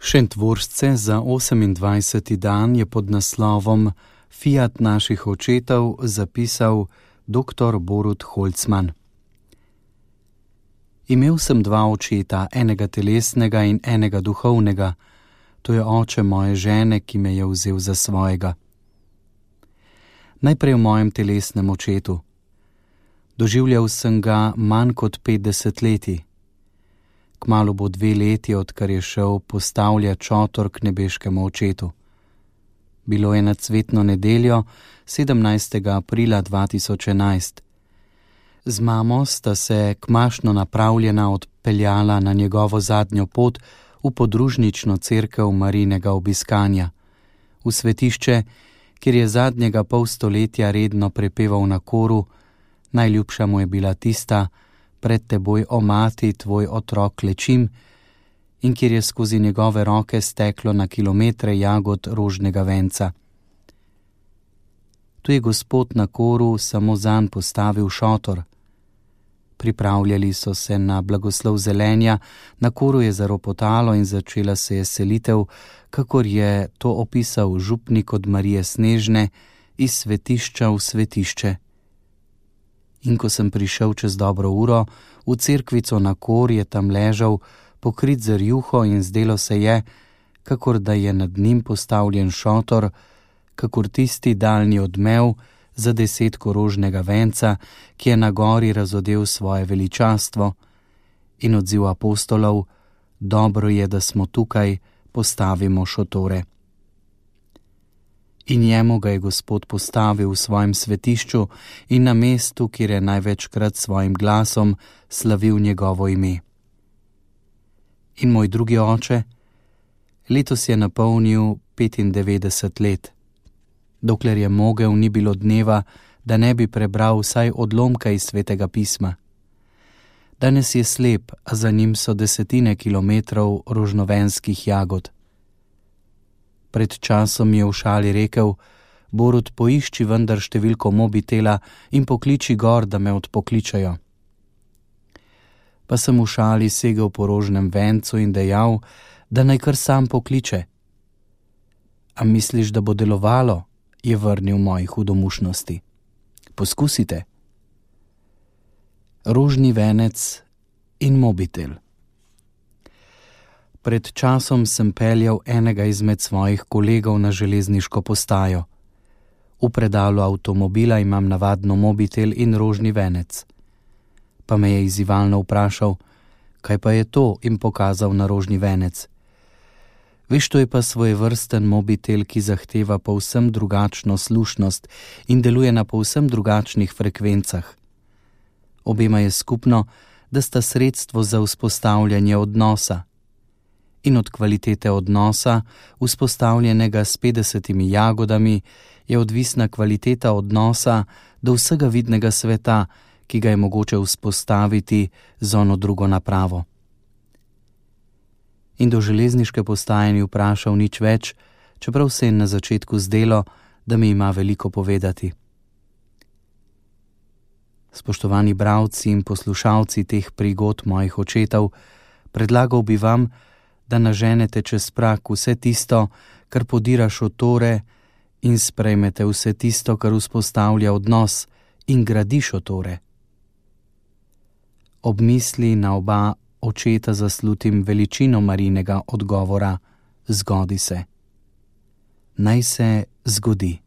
Šentvorsce za 28. dan je pod naslovom Fiat naših očetov zapisal dr. Borut Holcman. Imel sem dva očeta, enega telesnega in enega duhovnega. To je oče moje žene, ki me je vzel za svojega. Najprej o mojem telesnem očetu. Doživljal sem ga manj kot 50 leti. Kmalu bo 2 leti, odkar je šel postavljat šotor k nebeškemu očetu. Bilo je na cvetno nedeljo, 17. aprila 2011. Z mamo sta se kmašno napravljena odpeljala na njegovo zadnjo pot v podružnično cerkev Marijinega obiskanja, v svetišče, kjer je zadnjega pol stoletja redno prepeval na koru: najljubša mu je bila tista: pred teboj, o mati, tvoj otrok klečim, in kjer je skozi njegove roke steklo na kilometre jagod rožnega venca. Tu je Gospod na koru samo zanj postavil šotor. Pripravljali so se na blagoslov zelenja, na koru je zaropotalo in začela se je selitev, kakor je to opisal župnik od Marije Snežne, iz svetišča v svetišče. In ko sem prišel čez dobro uro, v cerkvico na kor, je tam ležal, pokrit z rjuho, in zdelo se je, kakor da je nad njim postavljen šotor, kakor tisti daljni odmev za 10 rožnega venca, ki je na gori razodel svoje veličastvo, in odziv apostolov: dobro je, da smo tukaj, postavimo šotore. In njemu ga je Gospod postavil v svojem svetišču in na mestu, kjer je največkrat svojim glasom slavil njegovo ime. In moj drugi oče, letos je napolnil 95 let. Dokler je mogel, ni bilo dneva, da ne bi prebral vsaj odlomka iz Svetega pisma. Danes je slep, a za njim so 10 kilometrov rožnovenskih jagod. Pred časom je v šali rekel: Borut, poišči vendar številko mobitela in pokliči gor, da me odpokličajo. Pa sem v šali segel po rožnem vencu in dejal, da naj kar sam pokliče. A misliš, da bo delovalo? Je vrnil moji hudomušnosti. Poskusite. Rožni venec in mobitel. Pred časom sem peljal enega izmed svojih kolegov na železniško postajo. V predalu avtomobila imam navadno mobitel in rožni venec. Pa me je izzivalno vprašal: kaj pa je to, in pokazal na rožni venec. Veš, to je pa svojevrsten mobitel, ki zahteva povsem drugačno slušnost in deluje na povsem drugačnih frekvencah. Obema je skupno, da sta sredstvo za vzpostavljanje odnosa. In od kvalitete odnosa, vzpostavljenega s 50 jagodami, je odvisna kvaliteta odnosa do vsega vidnega sveta, ki ga je mogoče vzpostaviti z ono drugo napravo. In do železniške postaje ni vprašal nič več, čeprav se je na začetku zdelo, da mi ima veliko povedati. Spoštovani bralci in poslušalci teh prigod mojih očetov, predlagal bi vam, da naženete čez prag vse tisto, kar podira šotore, in sprejmete vse tisto, kar vzpostavlja odnos in gradi šotore. Ob misli na oba očeta zaslutim veličino Marijinega odgovora: zgodi se. Naj se zgodi.